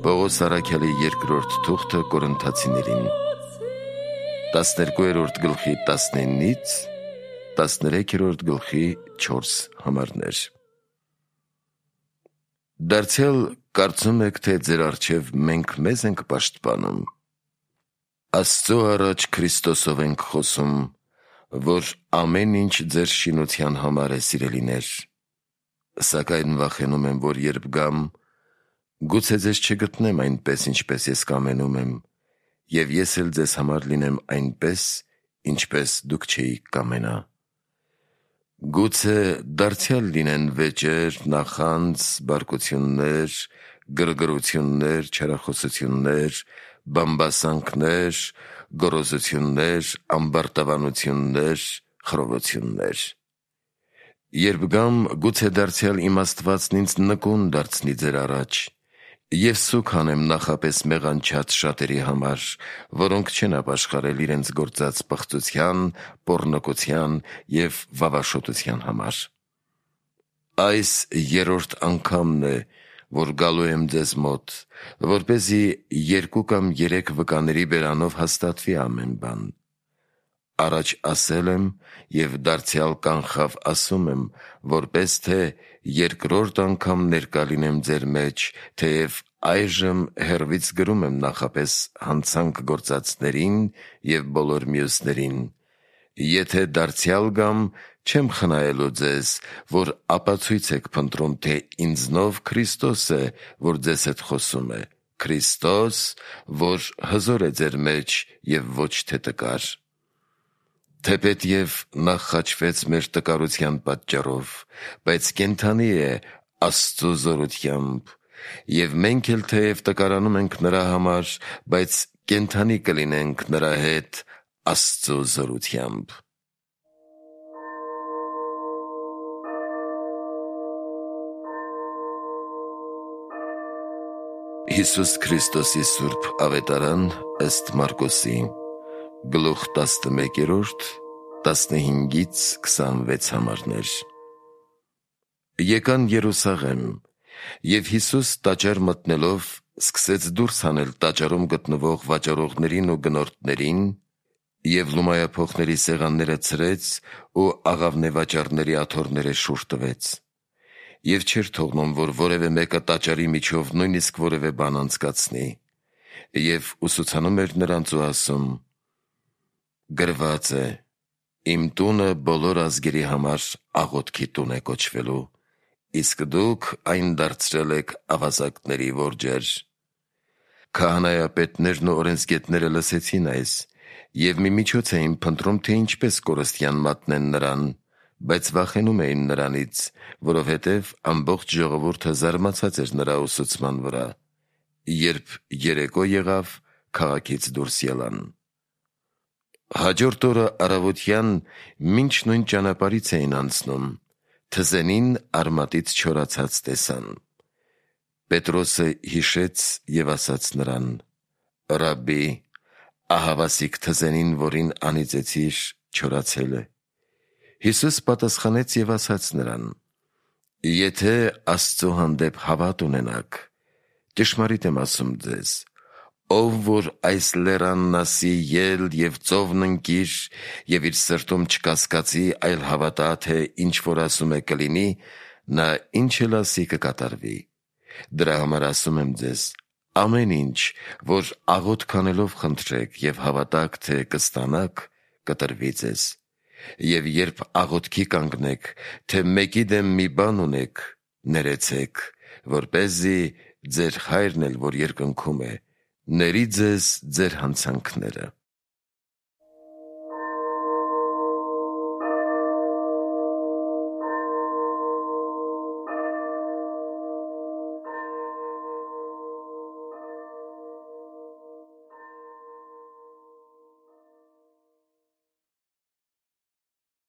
Պողոս առաքյալի երկրորդ թուղթը Կորինթացիներին 12-րդ գլխի 19-ից 13-րդ գլխի 4 համարներ։ Դարձյալ կարծում եք, թե ձեր առջև մենք մեզ ենք պաշտպանում։ Աստծո առաջ Քրիստոսով ենք խոսում, որ ամեն ինչ ձեր շինության համար է, սիրելիներ։ Սակայն վախենում եմ, որ երբ գամ, գուցե ձեզ չգտնեմ այնպես, ինչպես ես կամենում եմ, և ես էլ ձեզ համար լինեմ այնպես, ինչպես դուք չէիք կամենա։ Գուցե դարձյալ լինեն վեճեր, նախանձ, բարկություններ, գրգռություններ, չարախոսություններ, բամբասանքներ, գոռոզություններ, ամբարտավանություններ, խռովություններ։ Երբ գամ, գուցե դարձյալ իմ Աստվածն ինձ նկուն դարձնի ձեր առաջ, և սուգ հանեմ նախապես մեղանչած շատերի համար, որոնք չեն ապաշխարել իրենց գործած պղծության, պոռնկության և վավաշոտության համար։ Այս երրորդ անգամն է, որ գալու եմ ձեզ մոտ, որպեսզի 2 կամ 3 վկաների բերանով հաստատվի ամեն բան։ Առաջ ասել եմ և դարձյալ կանխավ ասում եմ, որպես թե երկրորդ անգամ ներկա լինեմ ձեր մեջ, թեև այժմ հեռվից գրում եմ նախապես հանցանք գործածներին և բոլոր մյուսներին։ Եթե դարձյալ գամ, չեմ խնայելու ձեզ, որ ապացույց եք փնտրում, թե ինձնով Քրիստոս է, որ ձեզ հետ խոսում է, Քրիստոս, որ հզոր է ձեր մեջ և ոչ թե տկար։ Թեպետև նա խաչվեց մեր տկարության պատճառով, բայց կենդանի է Աստծո զորությամբ, և մենք էլ թեև տկարանում ենք նրա համար, բայց կենդանի կլինենք նրա հետ Աստծո զորությամբ։ Հիսուս Քրիստոսի Սուրբ Ավետարան ըստ Մարկոսի, գլուխ 11, 15-ից 26 համարներ։ Եկան Երուսաղեմ, և Հիսուս տաճար մտնելով սկսեց դուրս հանել տաճարում գտնվող վաճառողներին ու գնորդներին և լումայափոխների սեղանները ցրեց ու աղավնեվաճառների աթոռները շուռ տվեց։ Եվ չէր թողնում, որ որևէ մեկը տաճարի միջով նույնիսկ որևէ բան անցկացնի, և ուսուցանում էր նրանց ու ասում. «Գրված է. իմ տունը բոլոր ազգերի համար աղոթքի տուն է կոչվելու, իսկ դուք այն դարձրել եք ավազակների որջեր»։ Քահանայապետներն ու օրենսգետները լսեցին այս և մի միջոց էին փնտրում, թե ինչպես կորստյան մատնեն նրան, բայց վախենում էին նրանից, որովհետև ամբողջ ժողովուրդը զարմացած էր նրա ուսուցման վրա։ Երբ երեկո եղավ, քաղաքից դուրս ելան։ Հաջորդ օրը առավոտյան, մինչ նույն ճանապարհից էին անցնում, թզենին արմատից չորացած տեսան։ Պետրոսը հիշեց և ասաց նրան. «Ռաբբի, ահավասիկ թզենին, որին անիծեցիր, չորացել է»։ Հիսուս պատասխանեց և ասաց նրան. «Եթե Աստծո հանդեպ հավատ ունենաք, ճշմարիտ եմ ասում ձեզ, ով որ այս լեռանն ասի ել և ծովն ընկիր, և իր սրտում չկասկածի, այլ հավատա, թե ինչ որ ասում է կլինի, նա ինչ էլ ասի կկատարվի։ Դրա համար ասում եմ ձեզ. ամեն ինչ, որ աղոթք անելով խնդրեք և հավատաք, թե կստանաք, կտրվի ձեզ։ Եվ երբ աղոթքի կանգնեք, թե մեկի դեմ մի բան ունեք, ներեցեք, որպեսզի ձեր Հայրն էլ, որ երկնքում է, ների ձեզ ձեր հանցանքները»։